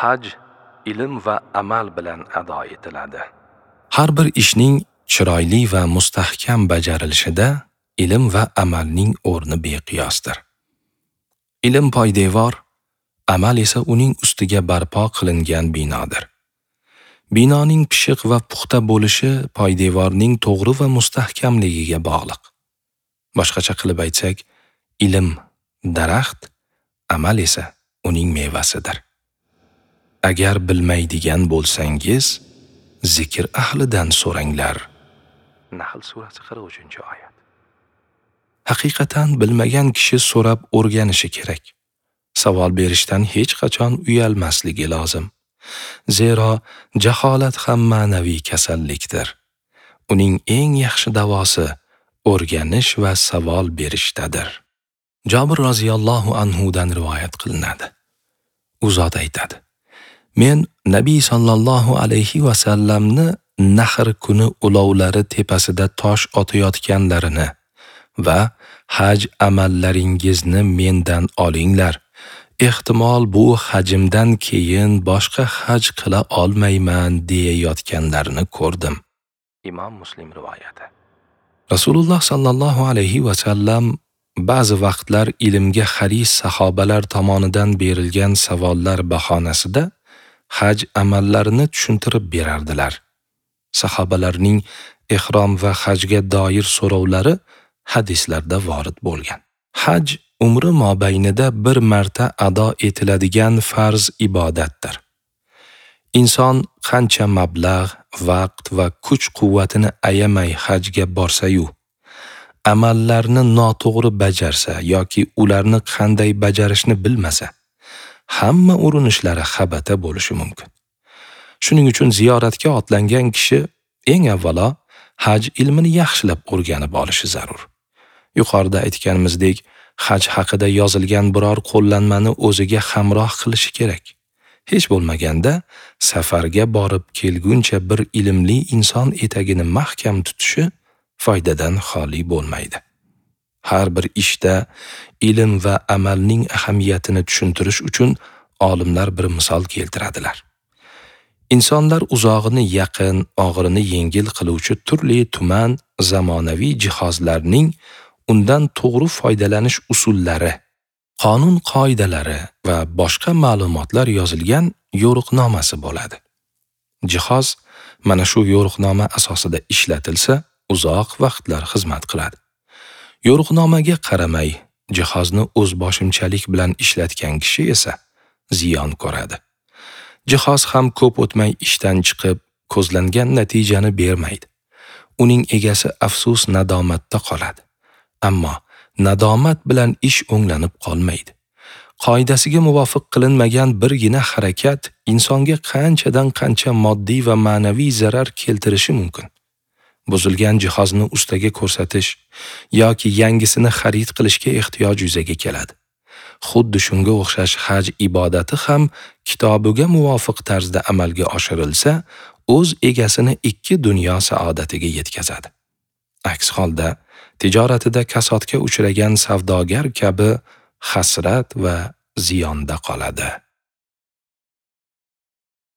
Haj ilm va amal bilan ado etiladi. Har bir ishning chiroyli va mustahkam bajarilishida ilm va amalning o'rni beqiyosdir. Ilm poydevor, amal esa uning ustiga barpo qilingan binodir. Binoning pishiq va puxta bo'lishi poydevorning to'g'ri va mustahkamligiga bog'liq. Boshqacha qilib aytsak, ilm daraxt, amal esa uning mevasidir. Agar bilmaydigan bo'lsangiz, zikr ahlidan so'ranglar. Nahl surasi 43-oyat. Haqiqatan bilmagan kishi so'rab o'rganishi kerak. Savol berishdan hech qachon uyalmasligi lozim. Zero jaholat ham ma'naviy kasallikdir. Uning eng yaxshi davosi o'rganish va savol berishdadir. Jobir roziyallohu anhu dan rivoyat qilinadi. U zot aytadi: Men Nabiy sallallohu alayhi va sallamni Nahr kuni ulovlari tepasida tosh otayotganlarini va haj amallaringizni mendan olinglar. Ehtimol bu hajimdan keyin boshqa haj qila olmayman deyayotganlarini ko'rdim. Imom Muslim rivoyati. Rasululloh sallallohu alayhi va sallam ba'zi vaqtlar ilmga haris sahobalar tomonidan berilgan savollar bahonasida haj amallarini tushuntirib berardilar. Sahobalarning ihrom va hajga doir so'rovlari hadislarda vorid bo'lgan. Haj umri mobaynida bir marta ado etiladigan farz ibodatdir. Inson qancha mablag', vaqt va kuch-quvvatini ayamay hajga borsa-yu, amallarni noto'g'ri bajarsa yoki ularni qanday bajarishni bilmasa, hamma urinishlari xabata bo'lishi mumkin. Shuning uchun ziyoratga otlangan kishi eng avvalo haj ilmini yaxshilab o'rganib olishi zarur. Yuqorida aytganimizdek, haj haqida yozilgan biror qo'llanmani o'ziga hamroh qilishi kerak. Hech bo'lmaganda safarga borib kelguncha bir ilmli inson etagini mahkam tutishi foydadan xoli bo'lmaydi. Har bir ishda ilm va amalning ahamiyatini tushuntirish uchun olimlar bir misol keltiradilar. Insonlar uzog'ini yaqin, og'irini yengil qiluvchi turli tuman zamonaviy jihozlarning undan to'g'ri foydalanish usullari, qonun qoidalari va boshqa ma'lumotlar yozilgan yo'riqnomasi bo'ladi. Jihoz mana shu yo'riqnoma asosida ishlatilsa, uzoq vaqtlar xizmat qiladi. Yo'riqnomaga qaramay, jihozni o'z boshimchalik bilan ishlatgan kishi esa ziyon ko'radi. Jihoz ham ko'p o'tmay ishdan chiqib, ko'zlangan natijani bermaydi. Uning egasi afsus nadomatda qoladi. Ammo nadomat bilan ish o'nglanib qolmaydi. Qoidasiga muvofiq qilinmagan birgina harakat insonga qanchadan qancha moddiy va ma'naviy zarar keltirishi mumkin. Buzilgan jihozni ustaga ko'rsatish yoki yangisini xarid qilishga ehtiyoj yuzaga keladi. Xuddi shunga o'xshash haj ibodati ham kitobiga muvofiq tarzda amalga oshirilsa, o'z egasini ikki dunyo saodatiga yetkazadi. Aks holda tijoratida kasodga uchragan savdogar kabi hasrat va ziyonda qoladi.